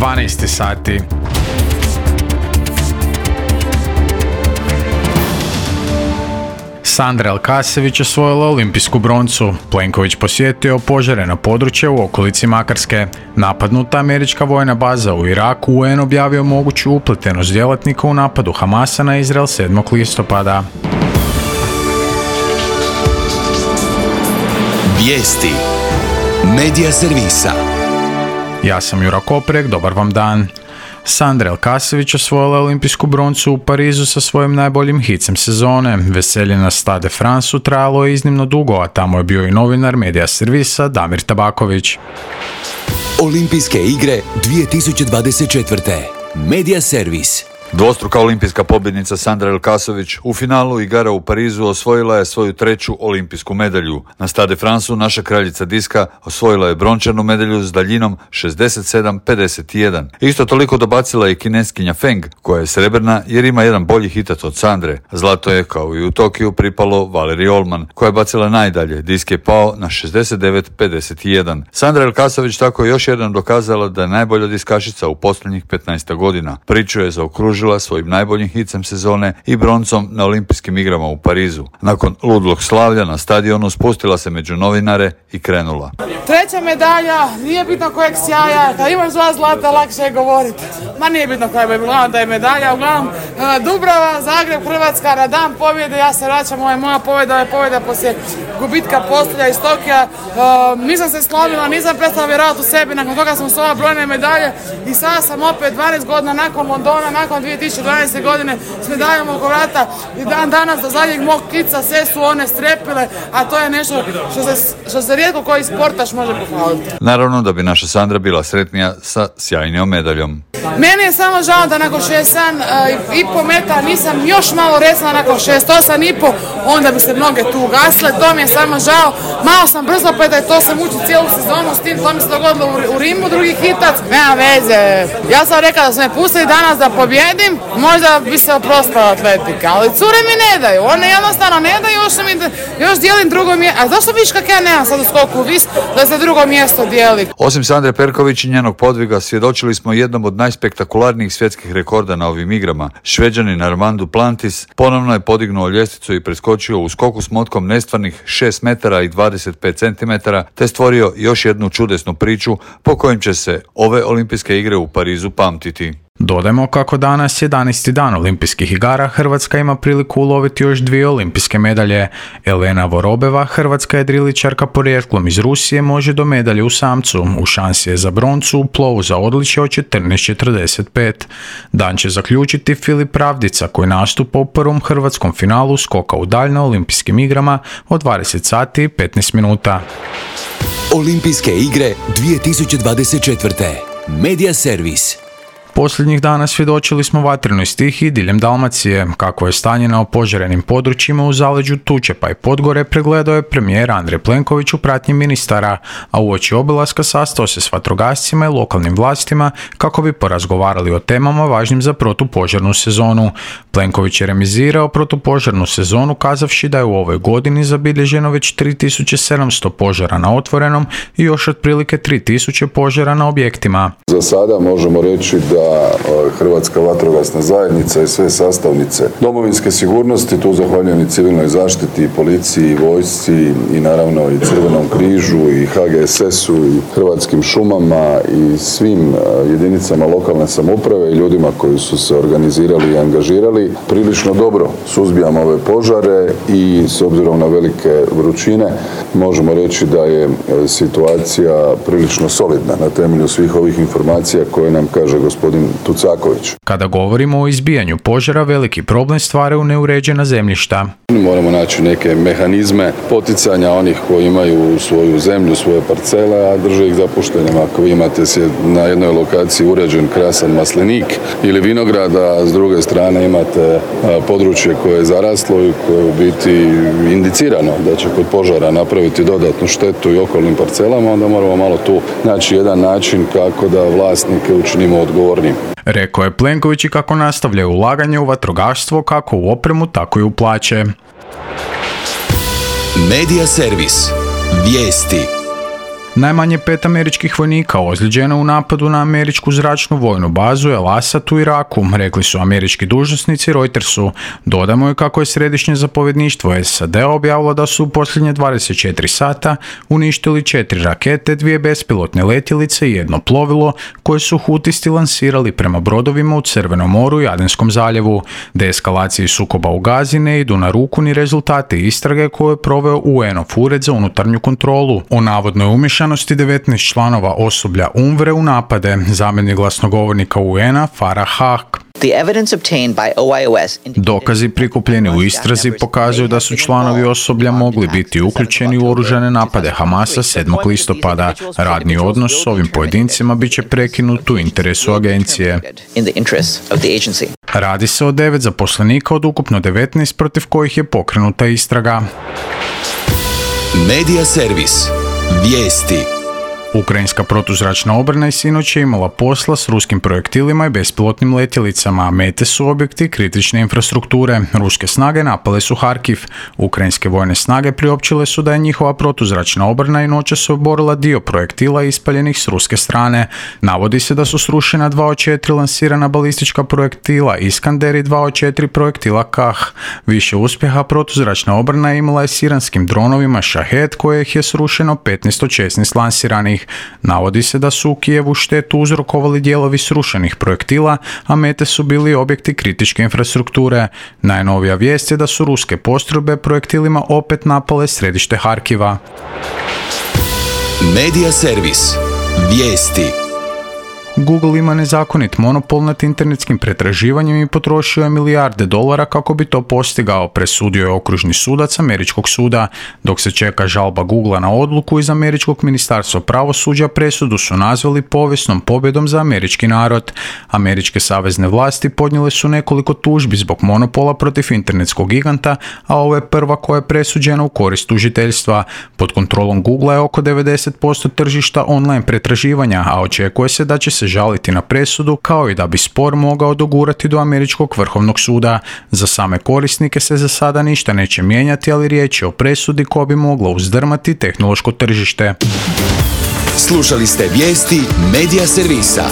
12 sati. Sandra Elkasević osvojila olimpijsku broncu. Plenković posjetio opožareno područje u okolici Makarske. Napadnuta američka vojna baza u Iraku, UN objavio moguću upletenost djelatnika u napadu Hamasa na Izrael 7. listopada. Vijesti Medija servisa. Ja sam Jura Koprek, dobar vam dan. Sandra Elkasević osvojila olimpijsku broncu u Parizu sa svojim najboljim hicem sezone. Veselje na Stade France trajalo je iznimno dugo, a tamo je bio i novinar Medija servisa Damir Tabaković. Olimpijske igre 2024. Medija servis. Dvostruka olimpijska pobjednica Sandra Elkasević u finalu igara u Parizu osvojila je svoju treću olimpijsku medalju. Na Stade Franceu naša kraljica diska osvojila je brončanu medalju s daljinom 67-51. Isto toliko dobacila je kineskinja Feng, koja je srebrna jer ima jedan bolji hitac od Sandre. Zlato je, kao i u Tokiju, pripalo Valeriji Olman, koja je bacila najdalje. Disk je pao na 69-51. Sandra Elkasević tako je još jednom dokazala da je najbolja diskašica u posljednjih 15 godina. Priču je zaokružila svojim najboljim hicem sezone i broncom na olimpijskim igrama u Parizu. Nakon ludlog slavlja na stadionu spustila se među novinare i krenula. Treća medalja, nije bitno kojeg sjaja, kad imaš 2 zlata lakše je govoriti. Ma nije bitno koja je bila, da je medalja, uglavnom Dubrava, Zagreb, Hrvatska, na dan pobjede, ja se vraćam, ovo je moja pobjeda, ovo je pobjeda poslije gubitka postolja iz Tokija. Nisam se slomila, nisam prestala vjerovati u sebi, nakon toga sam osvojila brojne medalje i sada sam opet 12 godina nakon Londona, nakon 2012. godine s medaljom oko vrata i dan danas do zadnjeg mog kica sve su one strepile, a to je nešto što se rijetko koji sportaš može pohvaliti. Naravno da bi naša Sandra bila sretnija sa sjajnijom medaljom. Meni je samo žao da nakon 67,5 metara nisam još malo resla, nakon 68,5, onda bi se mnoge tu ugasile, to mi je samo žao. Malo sam brzo peta i to sam učila cijelu sezonu s tim, to mi se dogodilo u Rimu, drugi hitac. Nema veze, ja sam rekla da su me pustili danas da pobjedim, možda bi se oprostila atletika, ali cure mi ne daju, one jednostavno ne daju, još dijelim drugo mjesto. A zašto viš kak ja nemam sad u skoku vis da se drugo mjesto dijeli? Osim Sandre Perković i njenog podviga, svjedočili smo jednom od najspektakularnijih svjetskih rekorda na ovim igrama. Šveđanin Armand Duplantis ponovno je podignuo ljestvicu i preskočio u skoku s motkom nestvarnih 6 metara i 25 centimetara, te stvorio još jednu čudesnu priču po kojim će se ove olimpijske igre u Parizu pamtiti. Dodajmo kako danas 11. dan olimpijskih igara, Hrvatska ima priliku uloviti još 2 olimpijske medalje. Elena Vorobeva, hrvatska jedriličarka porijeklom iz Rusije, može do medalje u samcu. U šansi je za broncu u plovu za odličje od 14:45. Dan će zaključiti Filip Pravdica, koji nastupa u prvom hrvatskom finalu skoka u dalj na olimpijskim igrama od 20 sati i 15 minuta. Olimpijske igre 2024. Medija servis. Posljednjih dana svjedočili smo vatrenoj stihiji diljem Dalmacije. Kako je stanje na opožarenim područjima u zaleđu Tučepa i Podgore pregledao je premijer Andrej Plenković u pratnji ministara, a uoči obilaska sastao se s vatrogascima i lokalnim vlastima kako bi porazgovarali o temama važnim za protupožarnu sezonu. Plenković je remizirao protupožarnu sezonu kazavši da je u ovoj godini zabilježeno već 3700 požara na otvorenom i još otprilike 3000 požara na objektima. Za sada možemo reći da Hrvatska vatrogasna zajednica i sve sastavnice domovinske sigurnosti, tu zahvaljujem i civilnoj zaštiti, i policiji, i vojsci, i naravno i Crvenom križu, i HGSS-u, i Hrvatskim šumama, i svim jedinicama lokalne samouprave i ljudima koji su se organizirali i angažirali. Prilično dobro suzbijamo ove požare i s obzirom na velike vrućine možemo reći da je situacija prilično solidna na temelju svih ovih informacija koje nam kaže gospodin Tucaković. Kada govorimo o izbijanju požara, veliki problem stvaraju neuređena zemljišta. Moramo naći neke mehanizme poticanja onih koji imaju svoju zemlju, svoje parcele, a drže ih zapuštenim. Ako vi imate na jednoj lokaciji uređen krasan maslinik ili vinograd, a s druge strane imate područje koje je zaraslo i koje je u biti indicirano da će kod požara napraviti dodatnu štetu i okolnim parcelama, onda moramo malo tu naći jedan način kako da vlasnike učinimo odgovornim. Rekao je Plenković i kako nastavljaju ulaganje u vatrogastvo kako u opremu, tako i u plaće. Medija servis. Vijesti. Najmanje 5 američkih vojnika ozlijeđeno u napadu na američku zračnu vojnu bazu El Asad u Iraku, rekli su američki dužnosnici Reutersu. Dodamo je kako je središnje zapovjedništvo SAD objavilo da su u posljednje 24 sata uništili 4 rakete, 2 bespilotne letjelice i 1 plovilo koje su Hutisti lansirali prema brodovima u Crvenom moru i Adenskom zaljevu. Deeskalaciji sukoba u Gazi ne idu na ruku ni rezultati istrage koju je proveo UN-ov ured za unutarnju kontrolu o navodnoj umješanosti 19 članova osoblja UNRWA u napade, zamjenik glasnogovornika UN-a Farah Haq. Dokazi prikupljeni u istrazi pokazuju da su članovi osoblja mogli biti uključeni u oružane napade Hamasa 7. listopada. Radni odnos s ovim pojedincima bit će prekinut u interesu agencije. Radi se o 9 zaposlenika od ukupno 19 protiv kojih je pokrenuta istraga. Medija servis. Vijesti. Ukrajinska protuzračna obrana i sinoć je imala posla s ruskim projektilima i bespilotnim letjelicama. Mete su objekti kritične infrastrukture. Ruske snage napale su Harkiv. Ukrajinske vojne snage priopćile su da je njihova protuzračna obrana i noćas oborila dio projektila ispaljenih s ruske strane. Navodi se da su srušena 2 od 4 lansirana balistička projektila Iskander i 2 od 4 projektila Kah. Više uspjeha protuzračna obrana imala je s iranskim dronovima Shahed, kojih je srušeno 15 od 16 lansiranih. Navodi se da su u Kijevu štetu uzrokovali dijelovi srušenih projektila, a mete su bili objekti kritičke infrastrukture. Najnovija vijest je da su ruske postrojbe projektilima opet napale središte Harkiva. Medija servis. Vijesti. Google ima nezakonit monopol nad internetskim pretraživanjem i potrošio je milijarde dolara kako bi to postigao, presudio je okružni sudac američkog suda. Dok se čeka žalba Googlea na odluku iz američkog ministarstva pravosuđa, presudu su nazvali povijesnom pobjedom za američki narod. Američke savezne vlasti podnijele su nekoliko tužbi zbog monopola protiv internetskog giganta, a ovo je prva koja je presuđena u korist tužiteljstva. Pod kontrolom Googlea je oko 90% tržišta online pretraživanja, a očekuje se da će se žaliti na presudu, kao i da bi spor mogao dogurati do američkog vrhovnog suda. Za same korisnike se za sada ništa neće mijenjati, ali riječ je o presudi koja bi mogla uzdrmati tehnološko tržište. Slušali ste vijesti Medija servisa.